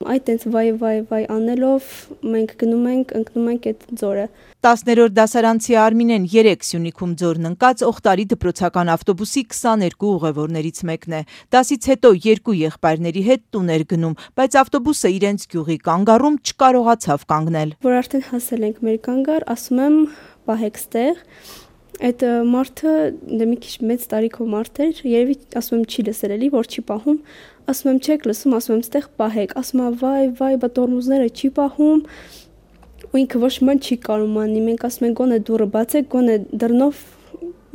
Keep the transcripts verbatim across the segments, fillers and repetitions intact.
Այդ տենց վայ վայ վայ անելով մենք գնում ենք, ընկնում ենք այդ ձորը։ տասներորդ դասարանցի Արմինեն երեկ Սյունիքում ձորն ընկած Օխտարի դպրոցական ավտոբուսի քսաներկու ուղևորներից մեկն է։ Դասից հետո երկու եղբայրների հետ տուն էր գնում, բայց ավտոբուսը իրենց գյուղի կանգառում չկարողացավ կանգնել։ Որ արդեն հասել ենք մեր կանգառ, ասում եմ պահեք ստեղ։ Այդ մարդը մի քիչ մեծ տարիքով մարդ էր, երևի ասում եմ չի լսել էլի, որ չի պահում, ասում եմ չեք լսում, ասում եմ ստեղ պահեք, ասում եմ վայ վայ, բա տորմուզները չի պահում, ու ինքը ոչ ման չի կարում անի, մենք ասում ենք գոնե դուռը բացեք, գոնե դռնով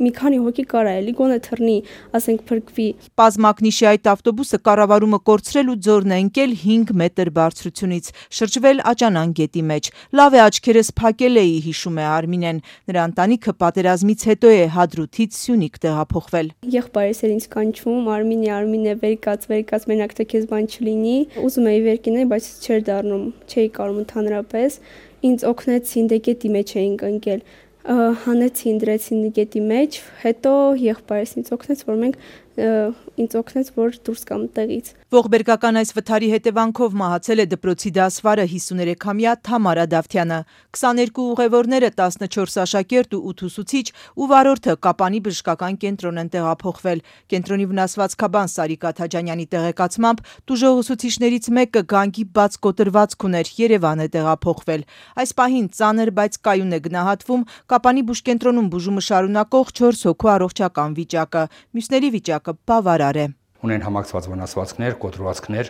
մի քանի հոգի կարա էլի, գոնե թռնի, ասենք փրկվի։ Պազմակնիշի այդ ավտոբուսը կառավարումը կորցրել ու ձորն է ընկել հինգ մետր բարձրությունից, շրջվել Աճանան գետի մեջ։ Լավ է աչքերս փակել էի, հիշում է Արմինեն։ Նրա ընտանիքը պատերազմից հետո է Հադրութից Սյունիք տեղափոխվել։ Եղբայրս էր ինձ կանչում, Արմինի, Արմինե, վեր կաց, վեր կաց, մենակ թե քեզ բան չլինի։ Ուզում էի վեր կենալ, բայց չէր դառնում, չէի կարում ընդհանրապես։ Ինձ օգնեցին, դե գետի մեջ էինք ընկել։ Հանեցին, դրեցին գետի մեջ, հետո եղբայրս ինձ օգնեց, որ մենք ինձ օգնեց, որ դուրս գամ տեղից։ Ողբերգական այս վթարի հետևանքով մահացել է դպրոցի դասվարը հիսուներեքամյա Թամարա Դավթյանը։ քսաներկու ուղևորները տասնչորս աշակերտ ու ութ ուսուցիչ ու վարորդը Կապանի բժշկական կենտրոն են տեղափոխվել։ Կենտրոնի վնասվածքաբան Սարիկ Աթաջանյանի տեղեկացմամբ տուժող ուսուցիչներից մեկը գանգի բաց կոտրվածք ուներ, Երևան է տեղափոխվել։ Այս պահին ծանր, բայց կայուն է գնահատվում Կապանի բուժկենտրոնում բուժումը շարունակող չորս հոգու առողջական վիճակը։ Մյուսների վիճակը բավարար է։ Ունեն համակցված վնասվածքներ, կոտրվածքներ,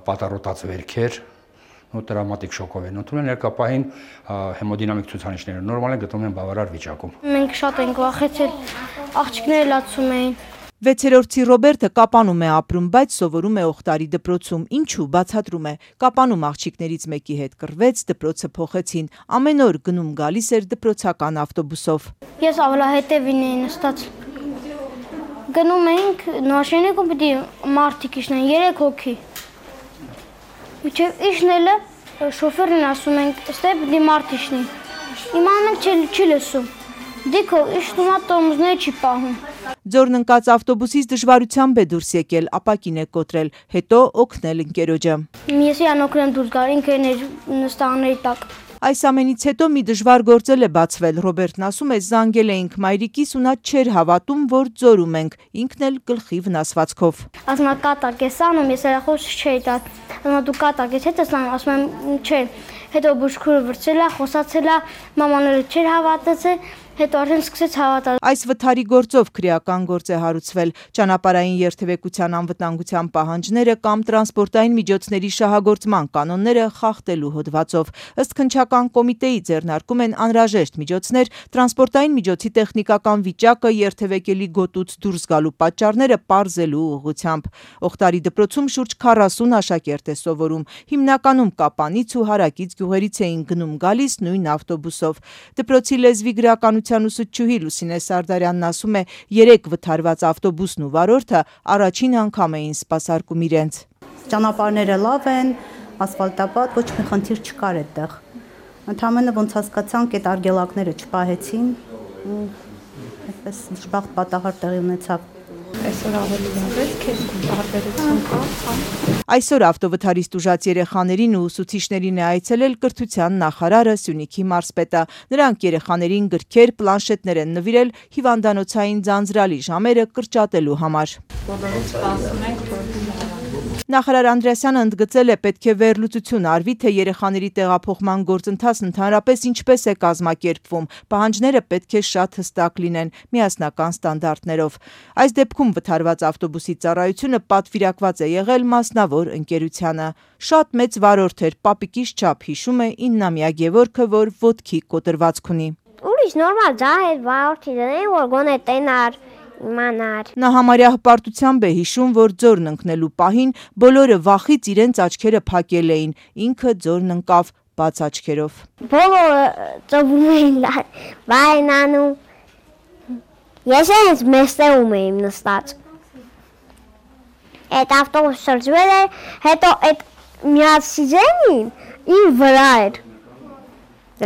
պատառոտած վերքեր, տրավմատիկ շոկով են ընդունել, ներկապահին հեմոդինամիկ ցուցանիշները նորմալ են, գտնվում են բավարար վիճակում։ Մենք շատ ենք վախեցել, աղջիկները լացում էին։ Վեցերորդցի Ռոբերտը Կապանում է ապրում, բայց սովորում է Օխտարի դպրոցում։ Ինչու բացատրում է։ Կապանում աղջիկներից մեկի հետ կռվեց, դպրոցը փոխեցին։ Ամեն օր գնում գալիս էր դպրոցական ավտոբուսով։ Ես ավլահետևին էի նստած։ Գնում էինք նաշենիկում պիտի մարդիկ իջնեն, երեք հոգի։ Մինչև իջնելը շոֆերին ասում ենք, ստե պիտի մարդ իջնի։ Իմանում ենք չի լսում։ Դիքո իջնում է տորմուզները չի պահում։ Ձորն ընկած ավտոբուսից դժվարությամբ է դուրս եկել, ապակին է կոտրել, հետո օգնել ընկերոջը։ Ես իրան օգնեմ դուրս գալ, ինքը էր նստանների տակ։ Այս ամենից հետո մի դժվար գործել է բացվել։ Ռոբերտն ասում է, զանգել էինք մայրիկիս ու նա չէր հավատում, որ ձորում ենք, ինքն էլ գլխի վնասվածքով։ Ասում է կատակ ես անում, ես հերախոս չէի տա։ Ասում է դու կատակ ես հետ ես անում, ասում եմ չէ։ Հետո բուժքուրը վրցել է, խոսացել է, մամաները չէր հավատացել, հետո արդեն սկսեց հավատալ։ Այս վթարի գործով քրեական գործ է հարուցվել։ Ճանապարհային երթևեկության անվտանգության պահանջները կամ տրանսպորտային միջոցների շահագործման կանոնները խախտելու հոդվածով։ Ըստ քննչական կոմիտեի ձեռնարկում են անհրաժեշտ միջոցներ տրանսպորտային միջոցի տեխնիկական վիճակը, երթևեկելի գոտուց դուրս գալու պատճառները պարզելու ուղղությամբ։ Օխտարի դպրոցում շուրջ քառասուն աշակերտ է սովորում։ Հիմնականում Կապանից ու հարակից գյուղերից էին գնում գալիս նույն ավտոբուսով։ Դպրոցի լեզվի գրականության ուսուցչուհի Լուսինե Սարդարյանն ասում է, երեք վթարված ավտոբուսն ու վարորդը առաջին անգամ էին սպասարկում իրենց։ Ճանապարհները լավ են, ասֆալտապատ, ոչ մի խնդիր չկար այդտեղ։ Ընդհանրապես ոնց հասկացանք, այդ արգելակները չպահեցին, այդպես շփախտ պատահար տեղի ունեցավ։ Այսօր ավելի լավ է, քեզ տարբերություն կա։ Այսօր ավտովթարից տուժած երեխաներին ու ուսուցիչներին է այցելել կրթության նախարարը, Սյունիքի մարզպետը։ Նրանք երեխաներին գրքեր, պլանշետներ են նվիրել հիվանդանոցային ձանձրալի ժամերը կրճատելու համար։ Նախարար Անդրեասյանը ընդգծել է, պետք է վերլուծություն արվի, թե երեխաների տեղափոխման գործընթացն ընդհանրապես ինչպես է կազմակերպվում, պահանջները պետք է շատ հստակ լինեն, միասնական ստանդարտներով։ Այս դեպքում վթարված ավտոբուսի ծառայությունը պատվիրակված է եղել մասնավոր ընկերությանը։ Շատ մեծ վարորդ էր, պապիկիս չափ, հիշում է իննամյա Գևորգը, որ ոտքի կոտրվածք ունի։ Ուրիշ նորմալ ձահ վարորդի դնեն, որ գոնե տենար Մանար։ Նա համարյա հպարտությամբ է հիշում, որ ձորն ընկնելու պահին բոլորը վախից իրենց աչքերը փակել էին, ինքը ձորն ընկավ բաց աչքերով։ Բոլորը ծվում էին վայնանում։ Ես ես մեստեղում եմ նստած։ Այդ ավտոբուս շրջվել էր, հետո այդ միացիզենին իմ վրա էր։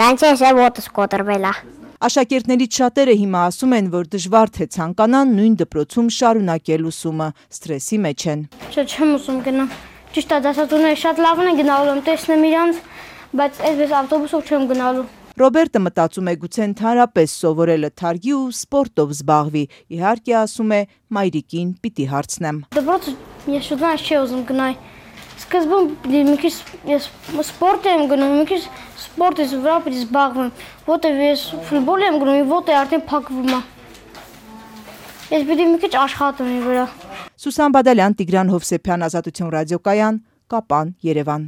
Լանչես է ոտս կոտրվել է։ Աշակերտներից շատերը հիմա ասում են, որ դժվար թե ցանկանան նույն դպրոցում շարունակել ուսումը, սթրեսի մեջ են։ Չէ, չեմ ուզում գնալ, Ճիշտ է, դասատուները շատ լավն են գնալու, եմ տեսնեմ իրանց, բայց այսպես ավտոբուսով չեմ գնալու։ Ռոբերտը մտածում է գուցե ընդհանրապես սովորելը թարգի ու սպորտով զբաղվի, իհարկե ասում է մայրիկին պիտի հարցնեմ։ Դպրոցը ես շուտով չի ուզում գնալ։ Սկզբում մի քիչ ես սպորտ եմ գնում, մի քիչ սպորտից վրա պիտի զբաղվեմ, որտեղ ես ֆուտբոլ եմ գնում, որտեղ արդեն փակվում է։ Ես պիտի մի քիչ աշխատեմ վրա։ Սուսան Բադալյան, Տիգրան Հովսեփյան, Ազատություն ռադիոկայան, Կապան, Երևան։